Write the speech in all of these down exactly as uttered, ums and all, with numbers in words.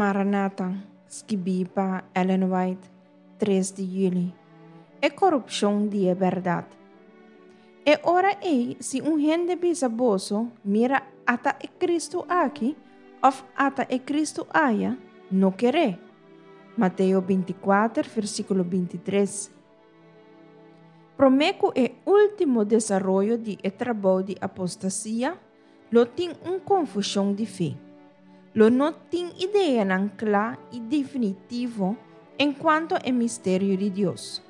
Maranata, skibí pa Ellen White, tres di yüli. E korupshon di e bèrdat. E ora ei, si un hende bisa boso, Mira, ata e Kristu aki, òf ata e Kristu aya, no ker'é. Mateo binti kuater, versíkulo binti tres. Promé ku e último desaroyo di e trabou di apostasia, lo tin un konfushon di fe. Lo no tin ideanan kla i definitivo enkuanto e misterio di Dios.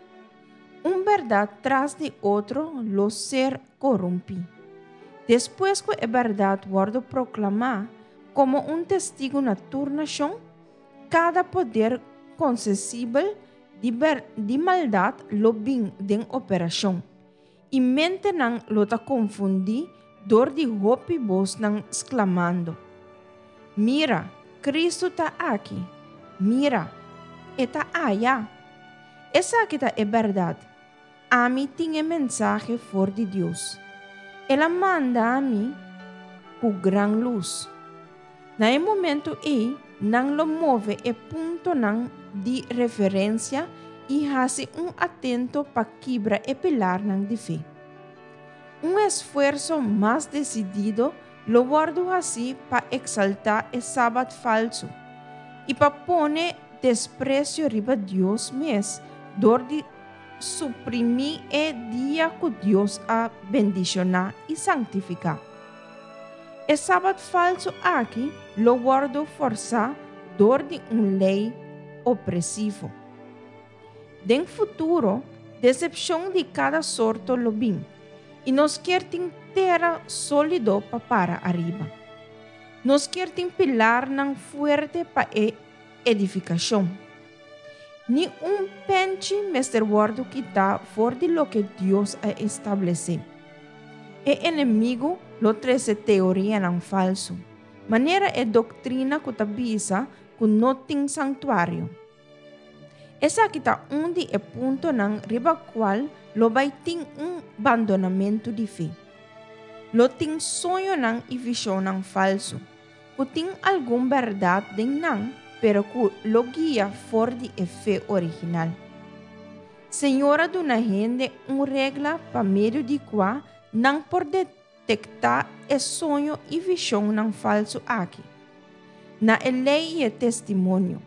Un bèrdat tras di otro lo ser korumpí. Despues ku e bèrdat wòrdu proklamá komo un testigu na tur nashon, kada poder konsesibel di ber di maldat lo bin den operashon, i mentenan lo ta konfundí dor di hopi bosnan sklamando, Mira, Kristu ta aki! Mira, E ta aya! Esaki ta e bèrdat. Ami tin e mensahe for di Dios. El a manda mi ku gran lus. Na e momento ei, nan lo move e puntonan di referensia i hasi un atento pa kibra e pilarnan di fe. Un esfuerso mas desidido lo wòrdu hasí pa eksaltá e sabat falsu i pa pone despresio riba Dios mes dor di suprimí e dia ku Dios a bendishoná i sanktifiká. E sabat falsu aki lo wòrdu fòrsá dor di un lei opresivo. Den futuro, desepshon di kada sorto lo bin, i nos kier tin tera sólido pa para ariba. Nos kier tin pilarnan fuerte pa e edifikashon. Ni un penchi mester wòrdu kitá for di loke Dios a establesé. E enemigu lo trese teorianan falsu, manera e doktrina ku ta bisa ku no tin santuario. Esaki ta un di e puntonan riba kual lo bai tin un bandonamentu di fe. Lo tin soñonan i vishonnan falsu, ku tin algun bèrdat den nan, pero ku lo guia for di e fe original. Señor a duna hende un regla pa medio di kua nan por detektá e soño i vishonnan falsu aki. Na e lei i e testimonio.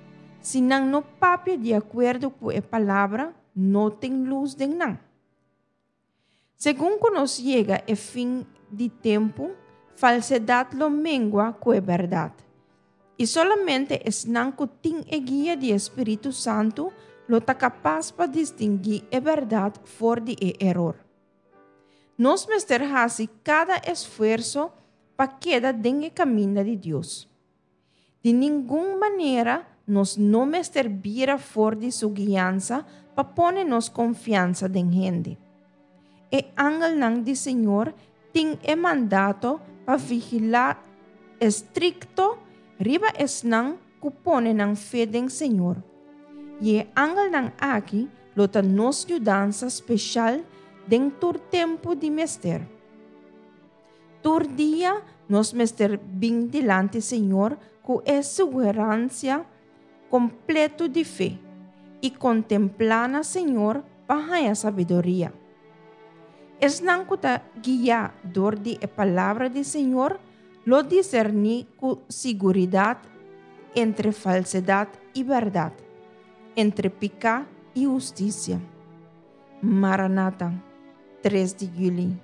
Si nan no papia di akuerdo ku e palabra, no tin lus den nan. Segun ku nos yega e fin di tempu, falsedat lo mengua ku e bèrdat. I solamente esnan ku tin e guia di e Spiritu Santu lo ta kapas pa distinguí e bèrdat for di e eror. Nos mester hasi kada esfuerso pa keda den e kaminda di Dios. Di ningun manera nos no mester bira for di su guiansa pa pone nos konfiansa den hende. E angelnan di Señor tin e mandato pa vigilá estrikto riba esnan ku pone nan fe den Señor. I e angelnan aki lo ta nos yudansa speshal den tur tempu di mester. Tur dia nos mester bin dilanti Señor ku e sugeransia kompleto di fe i kontemplá na Señor pa haña sabiduria. Esnan ku ta guiá dor di e Palabra di Señor lo diserní ku siguridat entre falsedat i bèrdat, entre piká i hustisia. Maranata, tres di yüli.